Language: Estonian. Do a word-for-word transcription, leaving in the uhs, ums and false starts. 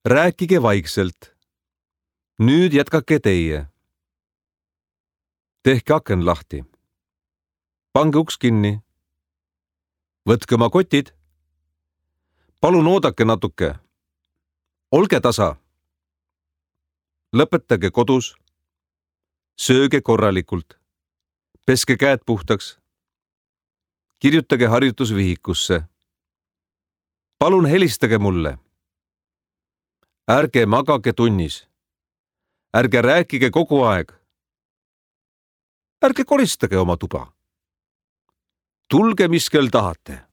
rääkige vaikselt. Nüüd jätkake teie. Tehke aken lahti. Pange uks kinni. Võtke oma kotid. Palun oodake natuke. Olge tasa. Lõpetage kodus. Sööge korralikult. Peske käed puhtaks. Kirjutage harjutusvihikusse. Palun helistage mulle. Ärge magage tunnis. Ärge rääkige kogu aeg. Ärge koristage oma tuba. Tulge, mis kell tahate.